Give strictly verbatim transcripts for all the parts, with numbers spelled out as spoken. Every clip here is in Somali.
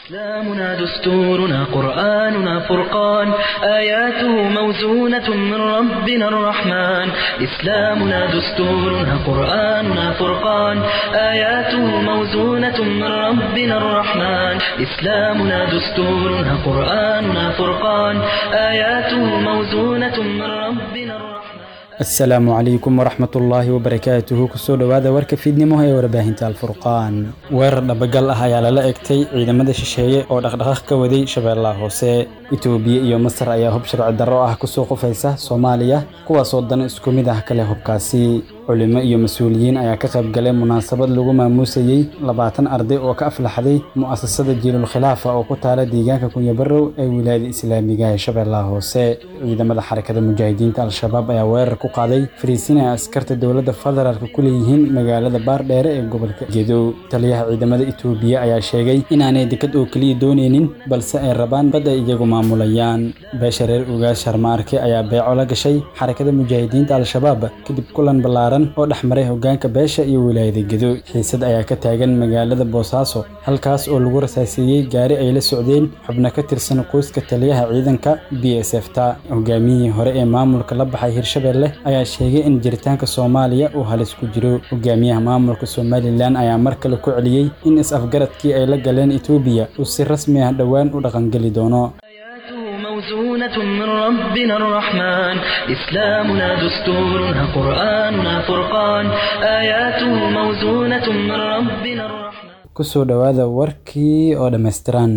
إسلامنا دستورنا قرآننا فرقان، آياته موزونة من ربنا الرحمن. إسلامنا دستورنا قرآننا فرقان، آياته موزونة من ربنا الرحمن. إسلامنا دستورنا قرآننا فرقان، آياته موزونة من ربنا الرحمن. Asalaamu calaykum waraxmatullaahi wabarakaatuhu. Kusoo dhowaada warka fiidnimo ee warbaahinta Alfurqaan. Weerar dhabagal ah ayaa lala egtay ciidamada shisheeye oo dhaqdhaqaaq ka waday Shabeellaha Hoose. Itoobiya iyo Masar ayaa hub sharci darro ah kusoo qufaysa Soomaaliya, kuwaasoo dan isku mid ah kale hubkaasi. Culimo iyo mas-uuliyiin ayaa ka qayb galay munaasabad lagu maamuusayey labaatan arday oo ka aflaxday mu'asasada Jiilul Khilaafa oo ku taala deegaanka Kunyabarow ee wilaayada islaamiga ee Shabeellaha Hoose. Ciidamada Xarakada Mujaahidiinta Al-Shabaab ayaa weerar ku qaaday fariisin ay askarta dowladda federaalka ku leeyihiin magaalada Baardheere ee gobolka Gedow. Taliyaha ciidamada Itoobiya ayaa sheegay inaanay dekad oo keliya dooneynin, balse ay rabaan bad ay iyagu maamulayaan. Beesha reer Ugaas Sharmaarke ayaa beeco la gashay Xarakada Mujaahidiinta Al-Shabaab kadib kulan ballaaran oo dhexmaray hoggaanka beesha iyo wilaayada Gedo. Xiisad ayaa ka taagan magaalada Boosaaso, halkaas oo lagu rasaaseeyey gaari ay la socdeen xubno ka tirsan qoyska taliyaha ciidanka B S F ta. Hogaamiyihii hore ee maamulka la baxay Hirshabelle ayaa sheegay in jiritaanka Soomaaliya uu halis ku jiro. Hogaamiyaha maamulka Somaliland ayaa mar kale ku celiyey in is-afgaradkii ay la galeen Itoobiya uu si rasmi ah dhowaan u dhaqangeli doono. موزونة من ربنا الرحمن، إسلامنا دستورنا قرآننا فرقان، آياته موزونة من ربنا الرحمن. Kusoo dhowaada warkii oo dhammaystiran.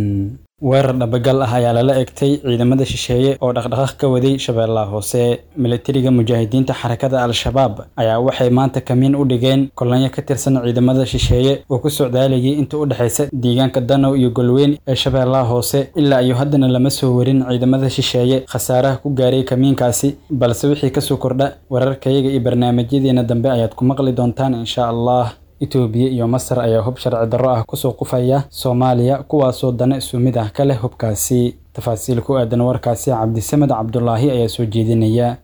Weerar dhabagal ah ayaa lala egtay ciidamada shisheeye oo dhaqdhaqaaq ka waday Shabeellaha Hoose. Milatariga mujaahidiinta Xarakada Al-Shabaab ayaa waxay maanta kamiin u dhigeen kolonyo ka tirsan ciidamada shisheeye oo ku socdaalayay inta u dhexaysa deegaanka Danow iyo Golweyn ee Shabeellaha Hoose. Ilaa iyo haddana lama soo warin ciidamada shisheeye khasaaraha ku gaaray kamiinkaasi, balse wixii kasoo kordha wararkayaga iyo barnaamijyadeena dambe ayaad ku maqli doontaan insha Allah. Itoobiya iyo Masar ayaa hub sharci darro ah kusoo qufaya Soomaaliya, kuwaasoo dana isu mid ah ka leh hubkaasi. Tafaasiil ku aadan warkaasi Cabdisamed Cabdulaahi ayaa soo jeedinaya.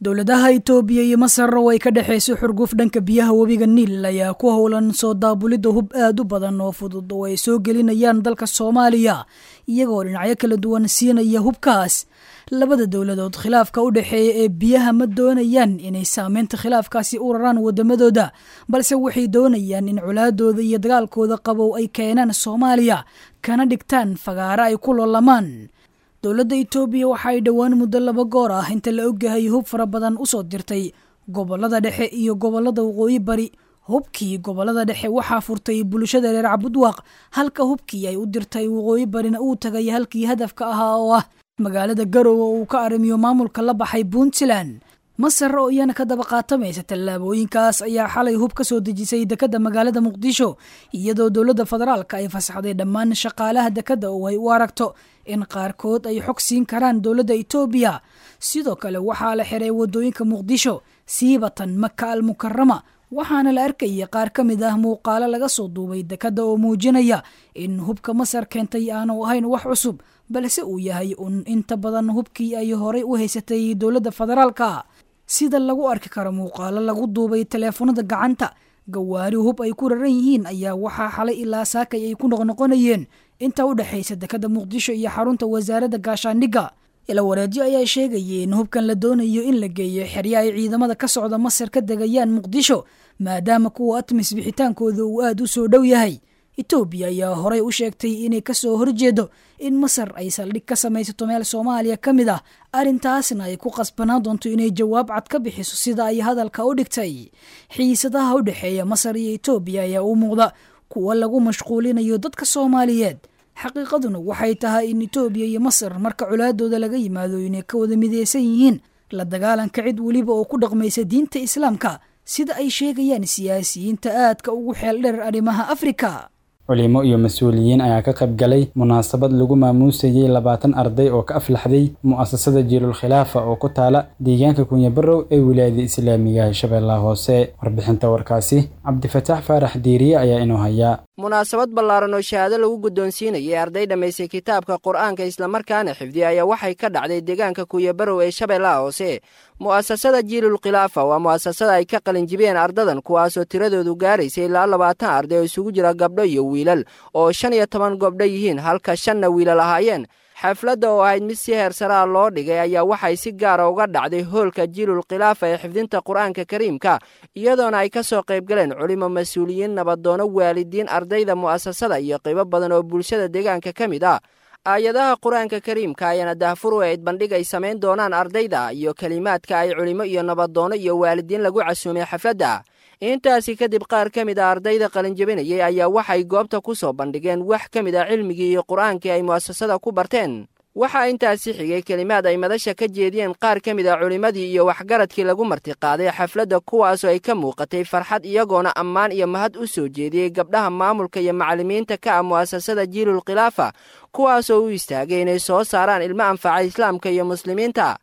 Dowladaha Itoobiya iyo Masar oo ay ka dhexayso xurguf dhanka biyaha webiga Niil ayaa ku howlan soo daabulidda hub aad u badan oo fudud oo ay soo gelinayaan dalka Soomaaliya, iyagoo dhinacyo kala duwan siinaya hubkaas. Labada dowladood khilaafka u dhexeeya ee biyaha ma doonayaan inay saameynta khilaafkaasi u raraan wadamadooda, balse waxay doonayaan in colaadooda iyo dagaalkooda qabow ay keenaan Soomaaliya kana dhigtaan fagaaro ay ku loolamaan. Dowladda Itoobiya waxa ay dhowaan muddo laba goor ah inta la ogyahay hub fara badan usoo dirtay gobolada dhexe iyo gobolada waqooyi bari. Hubkii gobolada dhexe waxaa furtay bulshada reer Cabudwaaq, halka hubkii ay u dirtay waqooyi barina uu tagay halkii hadafka ahaa oo ah magaalada Garowe oo uu ka arrimiyo maamulka la baxay Puntland. Masar oo iyana ka daba qaatamaysa tallaabooyinkaas ayaa xalay hub ka soo dejisay dekadda magaalada Muqdisho, iyadoo dowladda federaalka ay fasaxday dhammaan shaqaalaha dekadda oo ay u aragto in qaarkood ay xog siin karaan dowladda Itoobiya. Sidoo kale waxaa la xiray wadooyinka Muqdisho, siibatan Maka al-Mukarrama, waxaana la arkayay qaar ka mid ah muuqaalo laga soo duubay dekadda oo muujinaya in hubka Masar keentay aanu ahayn wax cusub, balse uu yahay un inta badan hubkii ay horay u haysatay dowladda federaalka. Sida lagu arki karo muuqaalo lagu duubay taleefanada gacanta, gawaari hub ay ku raran yihiin ayaa waxaa xalay ilaa saakay ay ku noqnoqonayeen inta u dhexaysa dekadda Muqdisho iyo xarunta wasaaradda gaashaandhigga. Ila wareedyo ayaa sheegayay in hubkan la doonayo in la geeyo xeryo ay ciidamada ka socda Masar ka degayaan Muqdisho, maadaama kuwa ATMIS bixitaankooda uu aad u soo dhow yahay. Itoobiya ayaa horay u sheegtay inay kasoo horjeedo in Masar ay saldhig ka samaysato meel Soomaaliya ka mid ah, arrintaasna ay ku qasbanaan doonto inay jawaab cad ka bixiso sida ay hadalka u dhigtay. Xiisadaha u dhexeeya Masar iyo Itoobiya ayaa u muuqda kuwa lagu mashquulinayo dadka Soomaaliyeed. Xaqiiqaduna waxay tahay in Itoobiya iyo Masar marka colaadooda laga yimaado inay ka wada mideysan yihiin la dagaalanka cid weliba oo ku dhaqmaysa diinta Islaamka, sida ay sheegayaan siyaasiyiinta aadka ugu xeel dheer arrimaha Afrika. Culimo iyo mas-uuliyiin ayaa ka qayb galay munaasabad lagu maamuusayey labaatan arday oo ka aflaxday mu'asasada Jiilul Khilaafa oo ku taala deegaanka Kunyabarow ee wilaayada islaamiga ee Shabeellaha Hoose. Warbixinta warkaasi Cabdifataax Faarax Diiriye ayaa inoo haya. Munaasabad ballaaran oo shahaado lagu guddoonsiinayay arday dhammaysay kitaabka qur-aanka islamarkaana xifdiya ayaa waxay ka dhacday deegaanka Kuyabarow ee Shabeellaha Hoose. Mu'asasada Jiilul Khilaafa waa mu'asasada ay ka qalinjibiyeen ardadan, kuwaasoo tiradoodu gaaraysay ilaa labaatan arday oo isugu jira gabdho iyo wiilal, oo shan iyo toban gobdho yihiin halka shanna wiilal ahaayeen. Xafladda oo ahayd mid si heersaraa loo dhigay ayaa waxay si gaara uga dhacday hoolka Jiilul Khilaafa ee xifdinta qur-aanka kariimka, iyadoona ay ka soo qaybgaleen culimo, mas-uuliyiin, nabadoono, waalidiin, ardayda mu'asasada iyo qaybo badan oo bulshada deegaanka ka mid ah. Aayadaha qur-aanka kariimka ayaana daahfur u ayd bandhig ay samayn doonaan ardayda iyo kelimaadka ay culimo iyo nabadoono iyo waalidiin lagu casuumay xafladda. Intaasi kadib qaar ka mid a ardayda qalinjabinayay ayaa waxay goobta ku soo bandhigeen wax ka mid a cilmigii iyo qur-aankii ay mu'asasada ku barteen. Waxaa intaasi xigay kelimaad ay madasha ka jeediyeen qaar ka mid a culimmadii iyo waxgaradkii lagu martiqaaday xafladda, kuwaasoo ay ka muuqatay farxad, iyagoona ammaan iyo mahad u soo jeediyey gabdhaha maamulka iyo macallimiinta ka ah mu'asasada Jiilul Khilaafa, kuwaasoo u istaagay inay soo saaraan ilmo anfaca islaamka iyo muslimiinta.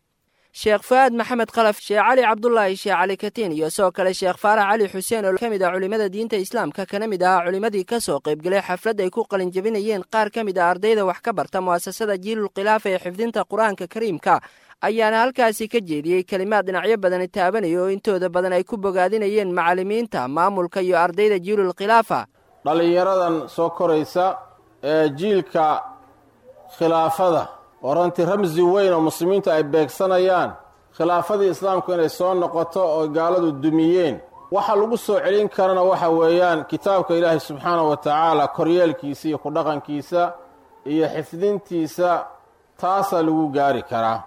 Sheekh Fu'aad Maxamed Khalaf, Sheekh Cali Cabdulaahi, Sheekh Cali Katiin iyo sidoo kale Sheekh Faarax Cali Xuseen oo ka mid ah culimmada diinta islaamka kana mid ahaa culimmadii ka soo qaybgalay xaflad ay ku qalinjabinayeen qaar ka mid ah ardayda wax ka barta mu'asasada Jiilul Khilaafa ee xifdinta qur-aanka kariimka, ayaana halkaasi ka jeediyey kelimaad dhinacyo badani taabanaya oo intooda badan ay ku bogaadinayeen macallimiinta, maamulka iyo ardayda Jiilul Khilaafa. Dhallinyaradan soo koraysa ee jiilka khilaafada oo runtii ramsi weyn oo muslimiintu ay beegsanayaan khilaafadii islaamku inay soo noqoto oo gaaladu dumiyeen, waxa lagu soo celin karana waxa weeyaan kitaabka Ilaahay subxaanahu wa tacaala koryeelkiisa iyo ku dhaqankiisa iyo xifdintiisa, taasaa lagu gaari karaa.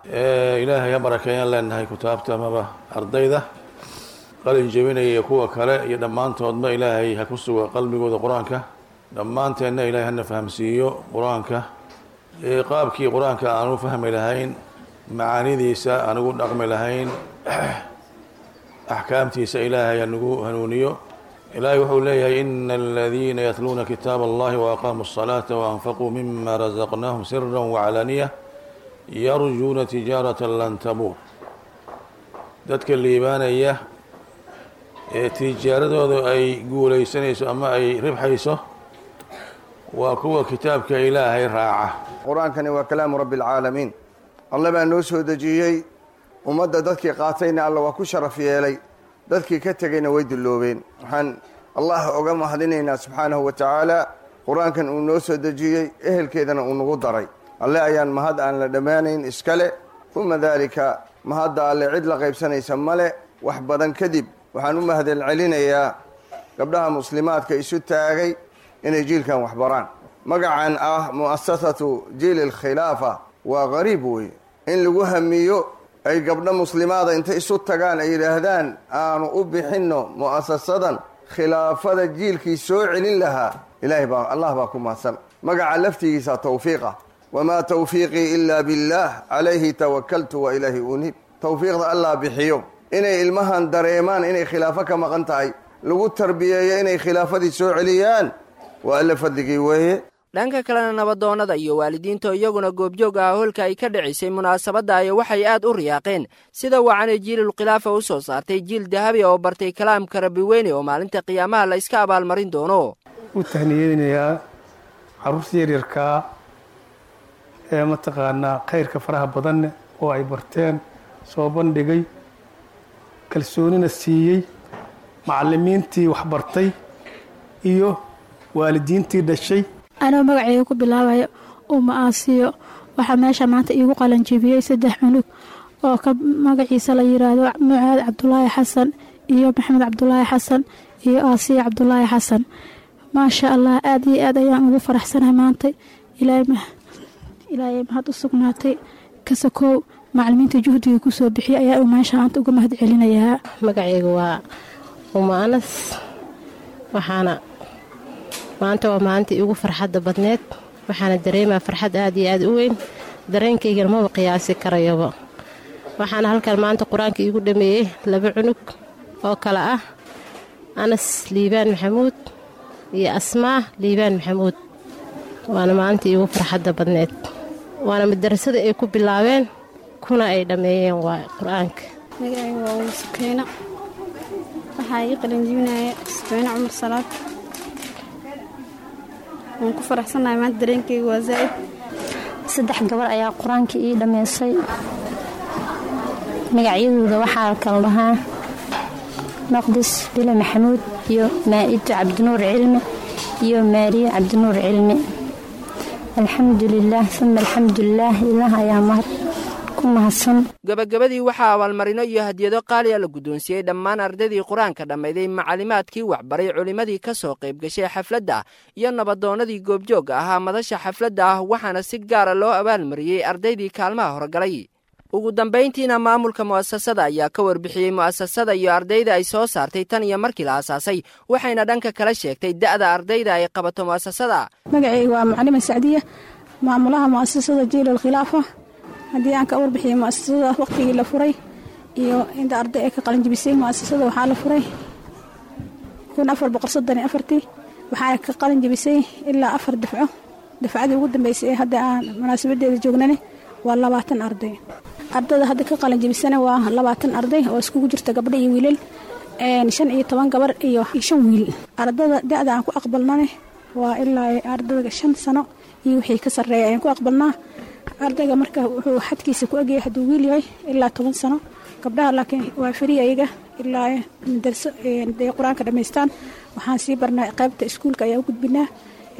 Ilaahay ha barakeeyaan leenahay kutaabta amaba ardayda qalin jebinaya iyo kuwa kale iyo dhammaantoodba Ilaahay ha ku suga qalbigooda qur-aanka, dhammaanteenna Ilaahay hana fahamsiiyo qur-aanka, qaabkii qur-aanka aan u fahmi lahayn, macaanidiisa aan ugu dhaqmi lahayn, axkaamtiisa Ilaahay hanagu hanuuniyo. Ilaahay wuxuu leeyahay: ina aladiina yatluuna kitaab allahi waaqaamuu الصalaata waanfaquu mima razaqnaahum sira waclaaniya yarjuuna tijaarata lan tabuur. Dadka liibaanaya ee tijaaradooda ay guulaysanayso ama ay ribxayso waa kuwa kitaabka Ilaahay raaca. Qur-aankani waa kalaamu rabbi alcaalamiin. Alle baa noo soo dejiyey. Ummadda dadkii qaatayna Alla waa ku sharaf yeelay, dadkii ka tegayna way dulloobeen. Waxaan Allah oga mahadinaynaa subxaanahu wa tacaala qur-aankan uu noo soo dejiyey, ehelkeedana uu nagu daray. Alle ayaan mahad aan la dhammaanayn iskale. Uma daalika, mahadda Alle cid la qaybsanaysa male. Wax badan kadib, waxaan u mahadel celinayaa gabdhaha muslimaadka isu taagay inay jiilkan wax baraan. Magacan ah mu'asasatu Jiili Alkhilaafa waa qariib wey in lagu hamiyo ay gabdho muslimaada intay isu tagaan ay yidhaahdaan aanu u bixinno mu'asasadan khilaafada jiilkii soo celin lahaa. Ilaahay baa, Allah baa ku mahadsan. Magaca laftigiisa tawfiiqa: wamaa tawfiiqii ilaa billaah, calayhi tawakaltu wa ilaahi uniib. Tawfiiqda Allah bixiyo. Inay ilmahan dareemaan inay khilaafo ka maqan tahay, lagu tarbiyeeyo inay khilaafadii soo celiyaan, waa Alla fadligii weeye. Dhanka kalena, nabadoonnada iyo waalidiinta iyaguna goobjoog ah hoolka ay ka dhicisay munaasabadda ayaa waxay aad u riyaaqeen sida wacanay Jiilul Khilaafa u soo saartay jiil dahabi oo bartay kalaamka Rabbi weyne oo maalinta qiyaamaha la iska abaalmarin doono. U tahniyeynayaa carruurta yaryarkaa ee mataqaanaa khayrka faraha badanne oo ay barteen soo bandhigay, kalsoonina siiyey macallimiintii wax bartay iyo waalidiintii dhashay. Anoo magaceyga ku bilaabayo Uma Aasiyo, waxaa meesha maanta iigu qalanjibiyey saddex cunug oo ka magaciisa la yiraahdo Mucaad Cabdulaahi Xasan iyo Maxamed Cabdulaahi Xasan iyo Aasiya Cabdulaahi Xasan. Maasha Allah, aad iyo aad ayaan ugu faraxsanahay maanta. Ilaahay mahad u sugnaatay kasakow, macalimiinta juhdiga kusoo bixiyay ayaa meesha maanta uga mahad celinayaa. Magacayga waa Uma Anas. Waxaana maanta waa maalinta iigu farxadda badneed. Waxaana dareemaa farxad aad iyo aad u weyn, dareenkaygana maba qiyaasi karayaba. Waxaana halkan maanta qur-aanka iigu dhameeyey laba cunug oo kale ah Anas Liibaan Maxamuud iyo Asmaa Liibaan Maxamuud. Waana maalinta iigu farxadda badneed, waana madarasada ay ku bilaabeen kuna ay dhammeeyeen waa qur-aanka. Magacayga waa Umu Sukeena. Waxaa ii qalinjibinaya Sukeena Cumar Salaad. Waan ku faraxsanahay maanta, dareenkayga waa zaa'id. Saddex gabar ayaa qur-aanka ii dhammaysay. Magacyadooda waxaa kala dhahaa Maqdis Bile Maxamuud iyo Maa'ido Cabdinuur Cilmi iyo Maariye Cabdinuur Cilmi. Alxamdulilaah uma alxamdulilaah, ilaah ayaa mahad ku mahadsan. Gabagabadii waxaa abaalmarino iyo hadiyado qaaliya la guddoonsiiyey dhammaan ardaydii qur-aanka dhammayday, macalimaadkii waxbaray, culimmadii ka soo qayb gashay xafladda iyo nabadoonnadii goobjoogga ahaa madasha xafladda ah, waxaana si gaara loo abaalmariyey ardaydii kaalmaha horgalay. Ugu dambayntiina maamulka mu'asasada ayaa ka warbixiyey mu'asasada iyo ardayda ay soo saartay tan iyo markii la aasaasay, waxayna dhanka kala sheegtay da'da ardayda ay qabato mu'asasada. Magacayga waa Macalima Sacdiya, maamulaha mu'asasada Jiil Alkhilaafa. Haddii aan ka warbixiyey mu'asasada waqtigii la furay iyo inta arday ay ka qalinjibisay, mu'asasada waxaa la furay kun afar boqol soddon iyo afartii, waxaana ka qalinjibisay ilaa afar dafco. Dafcadii ugu dambeysay ee hadda aan munaasabadeeda joognani waa labaatan arday. Ardada hadda ka qalinjibisana waa labaatan arday oo iskugu jirta gabdho iyo wiilal, shan iyo toban gabar iyo shan wiil. Ardada da'da aan ku aqbalnane waa ilaa ardada shan sano iyo wixii ka sarreeya ayaan ku aqbalnaa. Ardayga marka wuxuu xadkiisa ku egyahay hadduu wiil yahay ilaa toban sano, gabdhaha laakiin waa feri ayaga ilaa madarso ay qur-aanka dhammaystaan. Waxaan sii barnaa qaybta iskuulka ayaan u gudbinaa,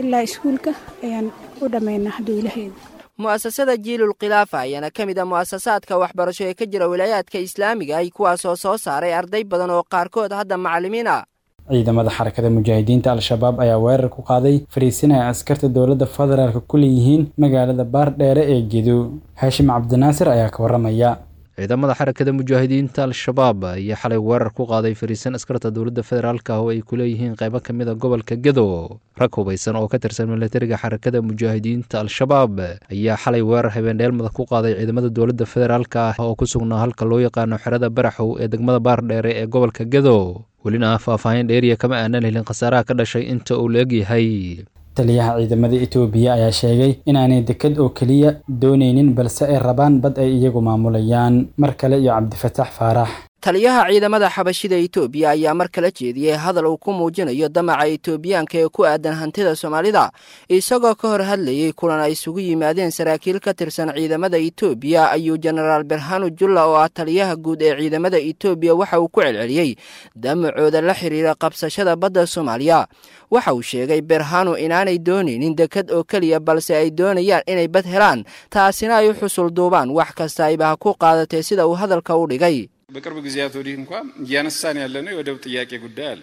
ilaa iskuulka ayaan u dhammaynaa hadduu ilahayd. Mu'asasada Jiilul Khilaafa ayaana ka mid ah mu'asasaadka waxbarasho ee ka jira wilaayaadka islaamiga ay, kuwaasoo soo saaray arday badan oo qaarkood hadda macallimiin ah. Ciidamada Xarakada Mujaahidiinta Al-Shabaab ayaa weerar ku qaaday fariisin ay askarta dowladda federaalka ku leeyihiin magaalada Baardheere ee Gedo. Haashim Cabdinaasir ayaa ka waramaya. Ciidamada Xarakada Mujaahidiinta Al-Shabaab ayaa xalay weerar ku qaaday fariisan askarta dowladda federaalka ah oo ay ku leeyihiin qaybo ka mid a gobolka Gedo. Rag hubaysan oo ka tirsan milatariga Xarakada Mujaahidiinta Al-Shabaab ayaa xalay weerar habeendheelmada ku qaaday ciidamada dowladda federaalka ah oo ku sugnaa halka loo yaqaano xerada Baraxow ee degmada Baardheere ee gobolka Gedo. Welina faahfaahin dheeriya kama aanan helin khasaaraha ka dhashay inta uu la egyahay. Taliyaha ciidamada Itoobiya ayaa sheegay inaanay dekad oo keliya doonaynin, balse ay rabaan bad ay iyagu maamulayaan. Mar kale iyo Cabdifataax Faarax. Taliyaha ciidamada xabashida Itoobiya ayaa mar kala jeediyey hadal uu ku muujinayo damaca Itoobiyaanka ee ku aadan hantida Soomaalida, isagoo ka hor hadlayey kulan ay isugu yimaadeen saraakiil ka tirsan ciidamada Itoobiya. Ayuu Jenaraal Berhanu Julla oo ah taliyaha guud ee ciidamada Itoobiya waxa uu ku celceliyey damacooda la xiriira qabsashada badda Soomaaliya. Waxa uu sheegay Berhanu inaanay doonaynin dekad oo keliya, balse ay doonayaan inay bad helaan, taasina ay u xusul duubaan wax kasta ayba ha ku qaadatee, sida uu hadalka u dhigay. በቅርብ ጊዜያት ወዲህ እንኳ እያነሳን ያለነው የወደብ ጥያቄ ጉዳይ አለ።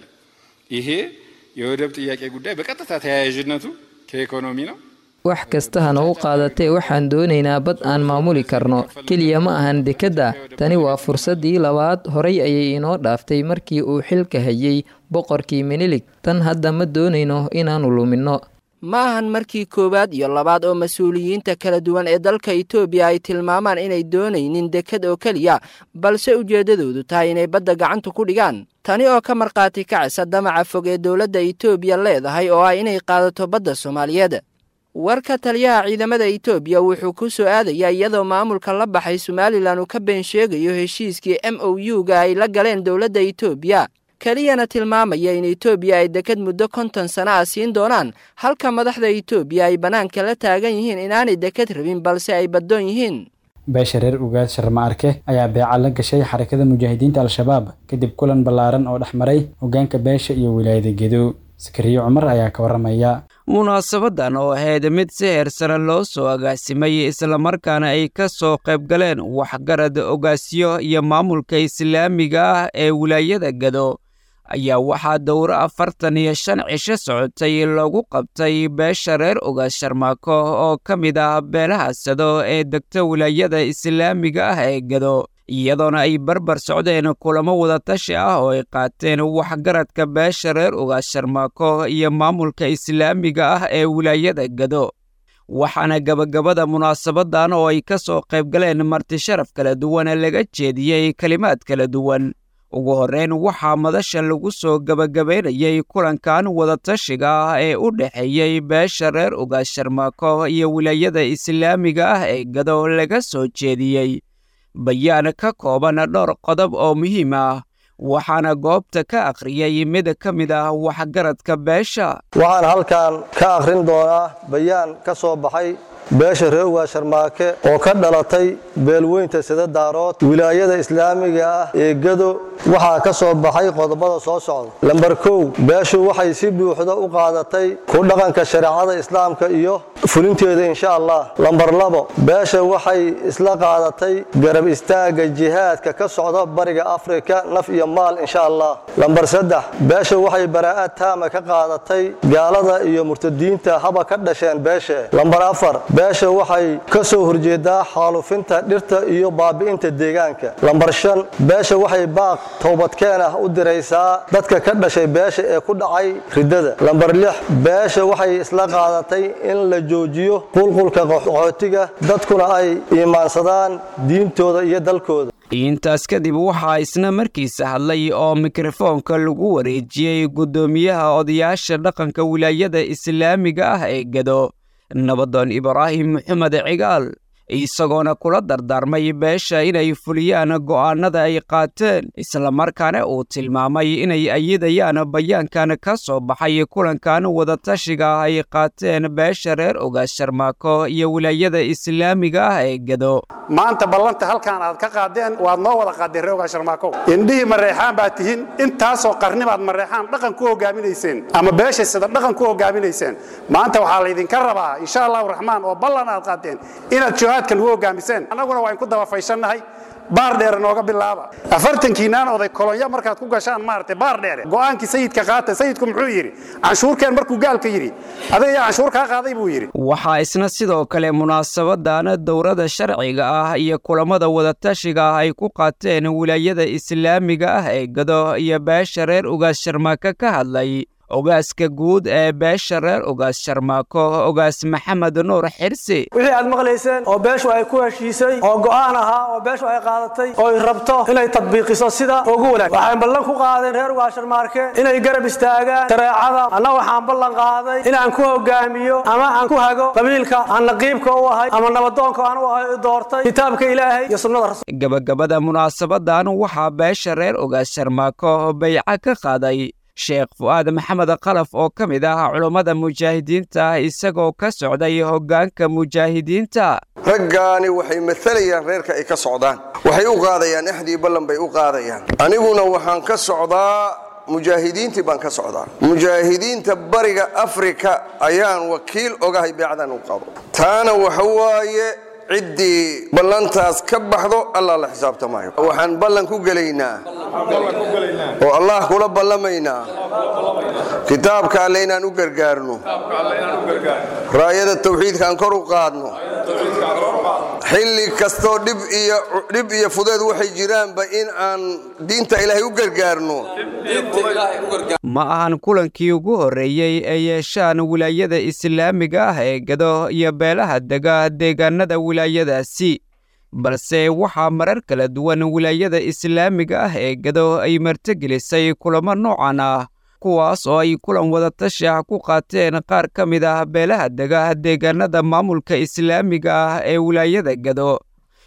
ይሄ የወደብ ጥያቄ ጉዳይ በቀጥታ ተያያዥነቱ ከኢኮኖሚ ነው። Wax kasta ha nagu qaadatee, waxaan doonaynaa bad aan maamuli karno. Keliya ma ahan dekedda. Tani waa fursaddii labaad. Horay ayay inoo dhaaftay markii uu xilka hayay boqorkii Minilig. Tan hadda ma doonayno inaannu luminno. Ma ahan markii koowaad iyo labaad oo mas-uuliyiinta kala duwan ee dalka Itoobiya ay tilmaamaan inay doonaynin dekad oo keliya, balse ujeeddadoodu tahay inay badda gacanta ku dhigaan. Tani oo ka markhaati kacaysa damaca fog ee dowladda Itoobiya leedahay oo ah inay qaadato badda Soomaaliyeed. Warka taliyaha ciidamada Itoobiya wuxuu ku soo aadayaa iyadoo maamulka la baxay Somalilan uu ka been sheegayo heshiiskii M O U-ga ay la galeen dowladda Itoobiya, keliyana tilmaamaya in Itoobiya ay dekad muddo konton sano ah siin doonaan, halka madaxda Itoobiya ay bannaanka la taagan yihiin inaanay dekad rabin, balse ay baddoon yihiin. Beesha reer Ugaas Sharma Arke ayaa beeca la gashay Xarakada Mujaahidiinta Al-Shabaab kadib kulan ballaaran oo dhex maray hoggaanka beesha iyo wilaayada Gedo. Sakariyo Cumar ayaa ka waramaya. Munaasabadan oo ahayd mid si heersare loo soo agaasimay, islamarkaana ay ka soo qayb galeen waxgarad, ogaasyo iyo maamulka islaamiga ah ee wilaayada Gado, ayaa waxaa dowro afartan iyo shan cisho socotay loogu qabtay beesha reer Ogaas Sharmaako oo ka mid ah beelaha Sado ee degta wilaayada islaamiga ah ee Gado, iyadoona ay barbar socdeen kulamo wadatashi ah oo ay qaateen waxgaradka beesha reer Ogaas Sharmaako iyo maamulka islaamiga ah ee wilaayada Gado. Waxaana gabagabada munaasabadan oo ay ka soo qayb galeen marti sharaf kala duwan laga jeediyey kelimaad kala duwan. Ugu horreyn waxaa madasha lagu soo gabagabaynayay kulankan wadatashiga ah ee u dhexeeyey beesha reer Ogaas Sharmaako iyo wilaayada islaamiga ah ee Gado laga soo jeediyey bayaan ka kooban dhowr qodob oo muhiim ah, Waxaana goobta ka akhriyay mid ka mid ah waxgaradka beesha. Waxaan halkan ka akhrin doonaa bayaan ka soo baxay beesha reer Ugaas Sharmaake oo ka dhalatay beelweynta Sida Daarood, wilaayada islaamiga ah ee Gado. Waxaa ka soo baxay qodobada soo socda. Lambar kow, beeshu waxay si buuxda u qaadatay ku dhaqanka shareecada islaamka iyo fulinteeda, insha Allah. Lambar labo, beesha waxay isla qaadatay garab istaagga jihaadka ka socda bariga Afrika, naf iyo maal, insha Allah. Lambar saddex, beesha waxay baraa'ad taama ka qaadatay gaalada iyo murtadiinta, haba ka dhasheen beesha. Lambar afar, beesha waxay ka soo horjeedaa xaalufinta dhirta iyo baabi'inta deegaanka. Lambar shan, beesha waxay baaq toobadkeen ah u diraysaa dadka ka dhashay beesha ee ku dhacay riddada. Lambar lix, beesha waxay isla qaadatay in la joojiyo qulqulka qaxootiga, dadkuna ay iimaansadaan diintooda iyo dalkooda. Intaas kadib waxaa isna markiisa hadlay oo mikrofoonka lagu wareejiyey guddoomiyaha odayaasha dhaqanka wilaayada islaamiga ah ee Gado, Nabadoon Ibraahim Maxamed Cigaal, isagoona kula dardaarmay beesha inay fuliyaan go'aanada ay qaateen, islamarkaana uu tilmaamay inay ayidayaan bayaankan ka soo baxay kulankan wadatashiga ah ay qaateen beesha reer Ugaas Sharmaako iyo wilaayada islaamiga ah ee Gado. Maanta ballanta halkan aad ka qaadeen waad noo wada qaadeen reer Ugaas Sharmaako. Indhihii Mareexaan baa tihiin, intaasoo qarni baad Mareexaan dhaqan ku hogaaminayseen ama beesha sida dhaqan ku hogaaminayseen. Maanta waxaa laydinka rabaa, insha Allahu Raxmaan, oo ballan aad qaadeen inaad jihaadkan ugu hogaamiseen. Annaguna waa inku daba fayshannahay. Baar dheere nooga bilaaba afartankiinaan oday kolonyo markaad ku gashaan maaragtay baar dheere go'aankii sayidka qaata. Sayidku muxuu yidhi canshuurkeen markuu gaalka yidhi, adiga yaa canshuur kaa qaaday buu yidhi. Waxaa isna sidoo kale munaasabadan dowrada sharciga ah iyo kulamada wadatashiga ah ay ku qaateen wilaayada islaamiga ah ee Gado iyo beesha reer Ugaas Sharmaako ka hadlay ogaaska guud ee beesha reer Ugaas Sharmaako, Ogaas Maxamed Nuur Xirsi. Wixii aad maqlayseen oo beeshu ay ku heshiisay oo go'aan ahaa oo beeshu ay qaadatay oo ay rabto inay tadbiiqiso sida ugu wanaag, waxaan ballan ku qaadeen reer Ugaas Sharmaarke inay garab istaagaan shareecada. Anna waxaan ballan qaaday inaan ku hogaamiyo ama aan ku hago qabiilka aan naqiibka u ahay ama nabadoonka aan u ahay doortay kitaabka Ilaahay iyo sunnada rasuulka. Gabagabada munaasabadan waxaa beesha reer Ugaas Sharmaako bayca ka qaaday Sheekh Fu'aad Maxamed Qalaf oo ka mid ah culummada mujaahidiinta, isagoo ka socday hoggaanka mujaahidiinta. Raggaani waxay maalayaan reerka ay ka socdaan, waxay u qaadayaan axdii ballan bay u qaadayaan. Aniguna waxaan ka socdaa mujaahidiintii baan ka socdaa, mujaahidiinta bariga Afrika ayaan wakiil ogahay beecdan u qabo. Taana waxa waaye ciddii ballantaas ka baxdo Allah la xisaabtamayo. Waxaan ballan ku gelaynaa oo Allah kula ballamaynaa kitaabka Alle inaan u gargaarno, raayada tawxiidka aan kor u qaadno, xilli kastoo dhib iyo dhib iyo fudeed waxay jiraanba in aan diinta Ilaahay u gargaarno. Ma ahan kulankii ugu horreeyey ee yeeshaan wilaayada islaamiga ah ee Gado iyo beelaha dega deegaanada wilaayadaasi, balse waxaa marar kala duwan wilaayada islaamiga ah ee Gado ay martigelisay kulamo noocan ah, kuwaas oo ay kulan wadatashi ah ku qaateen qaar ka mid ah beelaha dega deegaanada maamulka islaamiga ah ee wilaayada Gado,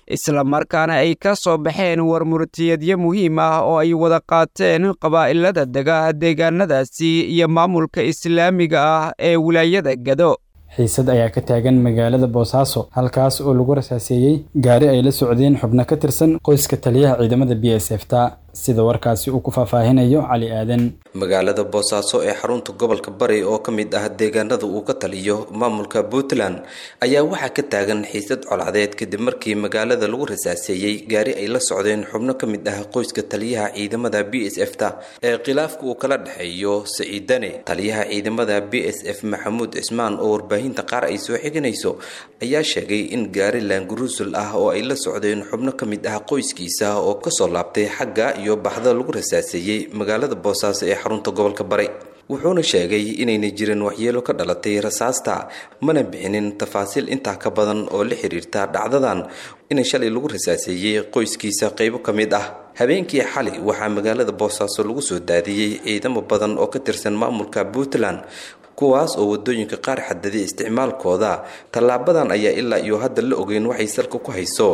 islamarkaana ay ka soo baxeen warmurtiyadyo muhiim ah oo ay wada qaateen qabaa'ilada dega deegaanadaasi iyo maamulka islaamiga ah ee wilaayada Gado. Xiisad ayaa ka taagan magaalada Boosaaso, halkaas oo lagu rasaaseeyey gaari ay la socdeen xubno ka tirsan qoyska taliyaha ciidamada B S F ta, sida warkaasi uu ku faahfaahinayo Cali Aadan. Magaalada Boosaaso ee xarunta gobolka Bari oo ka mid ah deegaanada uu ka taliyo maamulka Puntland ayaa waxaa ka taagan xiisad colaadeed kadib markii magaalada lagu rasaaseeyey gaari ay la socdeen xubno ka mid ah qoyska taliyaha ciidamada B S F ta ee khilaafka uu kala dhexeeyo Saciidane. Taliyaha ciidamada B S F Maxamuud Cismaan oo warbaahinta qaar ay soo xiganayso ayaa sheegay in gaari laanguruusul ah oo ay la socdeen xubno ka mid ah qoyskiisa oo kasoo laabtay xagga iyo baxda lagu rasaaseeyey magaalada Boosaaso ee xarunta gobolka Bari. Wuxuuna sheegay inayna jirin waxyeelo ka dhalatay rasaasta, mana bixinin tafaasiil intaa ka badan oo la xiriirta dhacdadan. in shalay lagu rasaaseeyey qoyskiisa qaybo ka mid ah. Habeenkii xalay waxaa magaalada Boosaaso lagu soo daadiyey ciidamo badan oo ka tirsan maamulka Puntland, kuwaas oo wadooyinka qaar xadaday isticmaalkooda. Tallaabadan ayaa ilaa iyo hadda la ogeyn waxay salka ku hayso.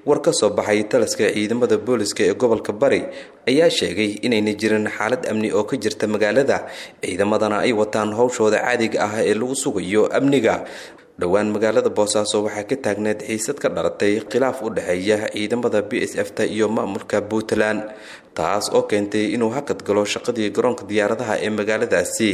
War ka soo baxay taliska ciidamada booliska ee gobolka Bari ayaa sheegay inayna jirin xaalad amni oo ka jirta magaalada, ciidamadana ay wataan howshooda caadiga ah ee lagu sugayo amniga. Dhowaan magaalada Boosaaso waxaa ka taagneed xiisad ka dhalatay khilaaf u dhexeeya ciidamada B S F ta iyo maamulka Puntland, taas oo keentay inuu hakad galo shaqadii garoonka diyaaradaha ee magaaladaasi.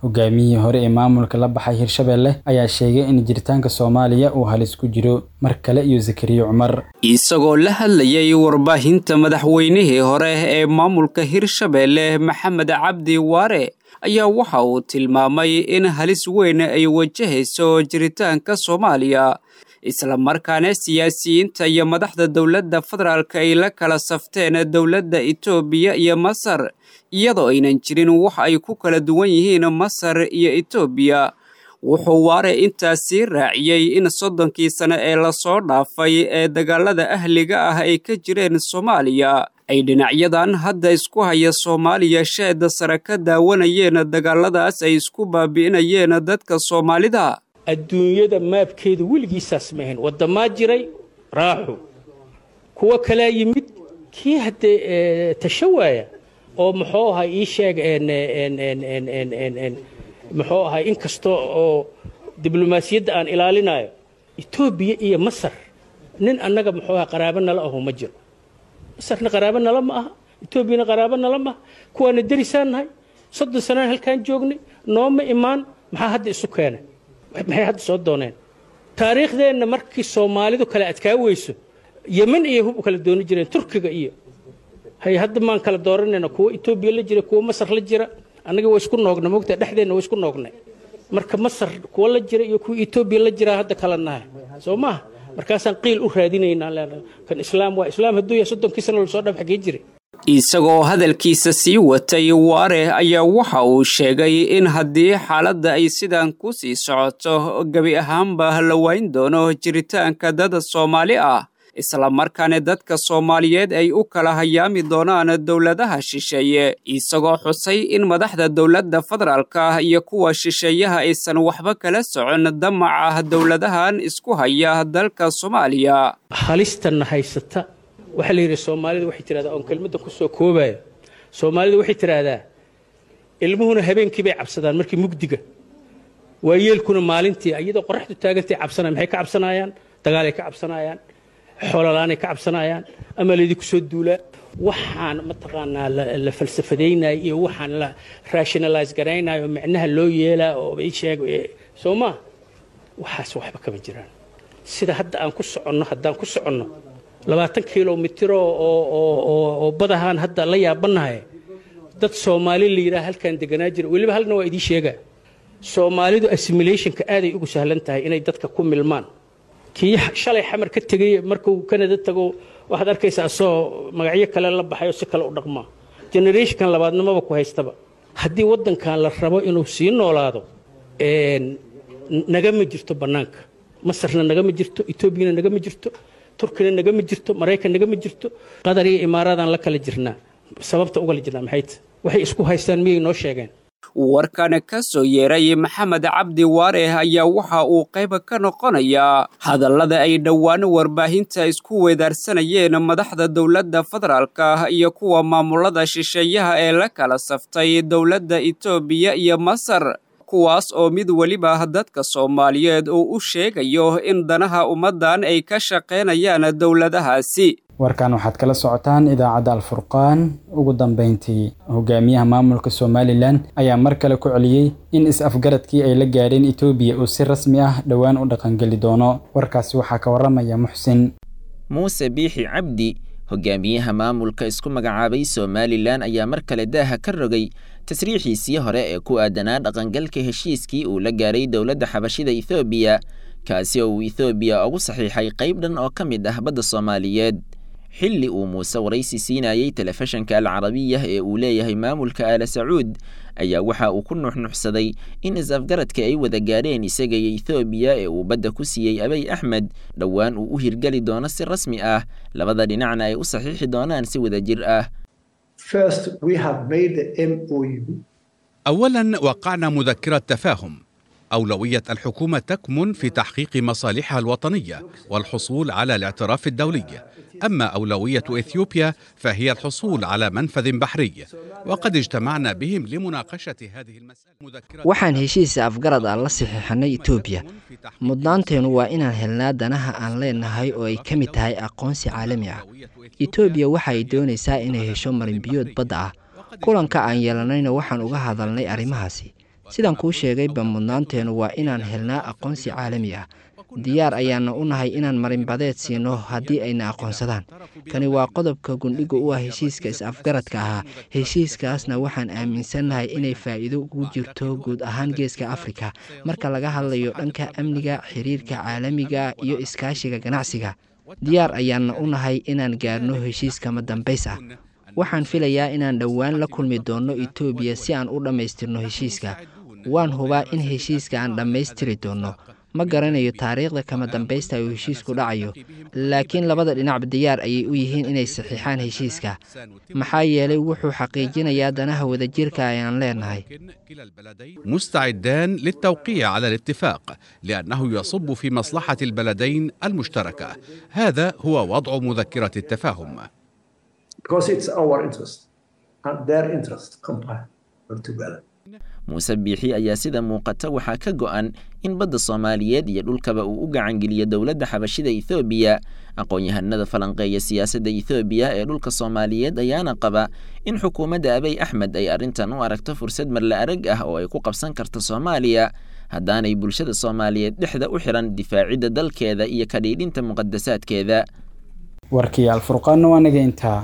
Hogaamiyihii hore ee maamulka la baxay Hirshabelle ayaa sheegay in jiritaanka Soomaaliya uu halis ku jiro. Mar kale iyo Zakariya Cumar. Isagoo la hadlayay warbaahinta, madaxweynihii hore ee maamulka Hirshabelle Maxamed Cabdi Waare ayaa waxa uu tilmaamay in halis weyn ay wajahayso jiritaanka Soomaaliya, islamarkaana siyaasiyiinta iyo madaxda dowladda federaalka ay la kala safteen dowladda Itoobiya iyo Masar, iyadoo aynan jirin wax ay ku kala duwan yihiin Masar iyo Itoobiya. Wuxuu Waare intaasii raaciyey in soddonkii sano ee lasoo dhaafay ee dagaalada ahliga ah ay ka jireen Soomaaliya ay dhinacyadan hadda isku haya Soomaaliya sheeda sare ka daawanayeen dagaaladaas ay isku baabi'inayeen dadka Soomaalida. Adduunyada maabkeedu weligiisaas ma ahayn. Waddamaa jiray raaxu, kuwo kalaa yimid, kii haddee tasho waaya oo muxuu ahay ii sheeg, muxuu ahay, inkasta oo diblomaasiyadda aan ilaalinayo, Etoobiya iyo Masar nin annaga muxuu ahay qaraabo nala ahu ma jiro. Masarna qaraabo nala ma aha, Etoobiyana qaraabo nala ma aha, kuwaana derisaan nahay, soddon sanaan halkaan joognay, nooma imaan. Maxaa hadda isu keenay? Maxay hadda soo dooneen? Taariikhdeenna markii Soomaalidu kala adkaa weyso, Yemen iyo hub u kala dooni jireen, Turkiga iyo hay. Hadda maan kala dooranayna kuwa Etoobiya la jira, kuwa Masar la jira. Annaga waa isku noogna, moogtaa, dhexdeenna waa isku noognay. Marka Masar kuwa la jira iyo kuwa Etoobiya la jira hadda kala nahay, soo maaha? Markaasaan qiil u raadinaynaa, leenahay kan Islaam waa Islaam. Hadduu yahay, soddonkii sano lasoo dhaaf xaggee jiray? Isagoo hadalkiisa sii watay, Waare ayaa waxa uu sheegay in haddii xaaladda ay sidan ku sii socoto, gebi ahaanba la wayn doono jiritaanka dad Soomaali ah, islamarkaana dadka Soomaaliyeed ay u kala hayaami doonaan dowladaha shisheeye, isagoo xusay in madaxda dowladda federaalka iyo kuwa shisheeyaha aysan waxba kala socon damaca dowladahan isku haya dalka Soomaaliya. Halistanna haysata waxaa la yidhi, Soomaalida waxay tidhahdaa, oon kelmadda ku soo koobayo, Soomaalida waxay tidhaahdaa ilmuhuna habeenkii bay cabsadaan markii mugdiga, waayeelkuna maalintii iyadoo qoraxdu taagantay cabsanayaan. Maxay ka cabsanayaan? Dagaalay ka cabsanayaan, xoololaanay ka cabsanayaan, ama laydinku soo duulaa. Waxaan mataqaanaa la falsafadaynayo iyo waxaan la rationalize garaynayo, micnaha loo yeelaa oo ii sheeg, soo maa, waxaas waxba kama jiraan. Sida hadda aan ku soconno, haddaan ku soconno labaatan kilomitr oo oo oo badahaan hadda la yaabanahay, dad Soomaali la yidhaha halkaan deganaa jira. Weliba halna waa idiin sheegaa, Soomaalidu assimilationka aaday ugu sahlan tahay inay dadka ku milmaan. Kii shalay Xamar ka tegey markuu Kanada tago, waxaad arkaysaa asoo magacyo kale la baxay oo si kale u dhaqmaa. Generationkan labaadna maba ku haystaba. Haddii waddankan la rabo inuu sii noolaado, nagama jirto bannaanka. Masarna nagama jirto, Etoobiyana nagama jirto, Turkina nagama jirto, Maraykan nagama jirto, Qatar iyo Imaaraadaan la kala jirnaa. Sababta ugala jirnaa maxay tahay? Waxay isku haystaan miyay noo sheegeen? Warkan ka soo yeeray Maxamed Cabdi Waare ayaa waxa uu qayb ka noqonayaa hadallada ay dhowaan warbaahinta isku weedaarsanayeen madaxda dowladda federaalka iyo kuwa maamulada shisheeyaha ee la kala saftay dowladda Itoobiya iyo Masar, kuwaas oo mid weliba dadka Soomaaliyeed uu u sheegayo in danaha ummaddan ay ka shaqaynayaan dowladahaasi. Warkan waxaad kala socotaan idaacadda Alfurqaan. Ugu dambeyntii, hogaamiyaha maamulka Somalilan ayaa mar kale ku celiyey in is-afgaradkii ay la gaadheen Itoobiya uu si rasmi ah dhowaan u dhaqangeli doono. Warkaasi waxaa ka waramaya Muxsin. Muuse Biixi Cabdi, hogaamiyaha maamulka isku magacaabay Somalilan, ayaa mar kale daaha ka rogay tasriixiisii hore ee ku aadanaa dhaqangalka heshiiskii uu la gaaray dowladda xabashida Ethoobiya, kaasi oo uu Ethoobiya ugu saxiixay qayb dhan oo ka mid ah badda Soomaaliyeed. Xilli uu Muuse waraysi siinayey telefishanka Alcarabiya ee uu leeyahay maamulka Aala Sacuud ayaa waxa uu ku nuxnuxsaday in is-afgaradka ay wada gaadheen isaga iyo Ethoobiya ee uu badda ku siiyey Abiy Axmed dhowaan uu u hirgeli doono si rasmi ah, labada dhinacna ay u saxiixi doonaan si wadajir ah. أولا وقعنا مذكرة تفاهم. أولوية الحكومة تكمن في تحقيق مصالحها الوطنية والحصول على الاعتراف الدولي. أما أولوية إثيوبيا فهي الحصول على منفذ بحري، وقد اجتمعنا بهم لمناقشة هذه المسألة. Waxaan heshiis afgarad ah la saxiixanay Itoobiya. Mudnaanteennu waa inaan helnaa danaha aan leenahay oo ay ka mid tahay aqoonsi caalami ah. Itoobiya waxa ay doonaysaa inay hesho marinbiyood badda ah. Kulanka aan yeelanayna waxaan uga hadalnay arrimahaasi. Sidaan kuu sheegayba, mudnaanteennu waa inaan helnaa aqoonsi caalami ah. Diyaar ayaana u nahay inaan marinbadeed siino haddii ayna aqoonsadaan. Kani waa qodobka gundhiga u ah heshiiska is-afgaradka ahaa. Heshiiskaasna waxaan aaminsannahay inay faa'iido ugu jirto guud ahaan Geeska Afrika marka laga hadlayo dhanka amniga, xiriirka caalamiga iyo iskaashiga ganacsiga. Diyaar ayaana u nahay inaan gaarno heshiiskama dambays ah. Waxaan filayaa inaan dhowaan la kulmi doonno Itoobiya si aan u dhammaystirno heshiiska. Waan hubaa in heshiiska aan dhammaystiri doonno. Ma garanayo taariikhda kama dambaysta uu heshiisku dhacayo, laakiin labada dhinacba diyaar ayay u yihiin inay saxiixaan heshiiska, maxaa yeelay wuxuu xaqiijinayaa danaha wadajirka ayaan leenahay. مستعدان للتوقيع على الاتفاق لأنه يصب في مصلحة البلدين المشتركة. هذا هو وضع مذكرة التفاهم. Because it's our interest and their interest combined together. Muuse Biixi ayaa sida muuqata waxaa ka go'an in badda Soomaaliyeed iyo dhulkaba uu u gacangeliyo dowladda xabashida Ethoobiya. Aqoon-yahanada falanqeeya siyaasadda Ethoobiya ee dhulka Soomaaliyeed ayaana qaba in xukuumadda Abiy Axmed ay arrintan u aragto fursad marla arag ah oo ay ku qabsan karto Soomaaliya, haddaanay bulshada Soomaaliyeed dhexda u xiran difaacidda dalkeeda iyo ka dhiidhinta muqadasaadkeeda. Warkii Alfurqaanna waa naga intaa.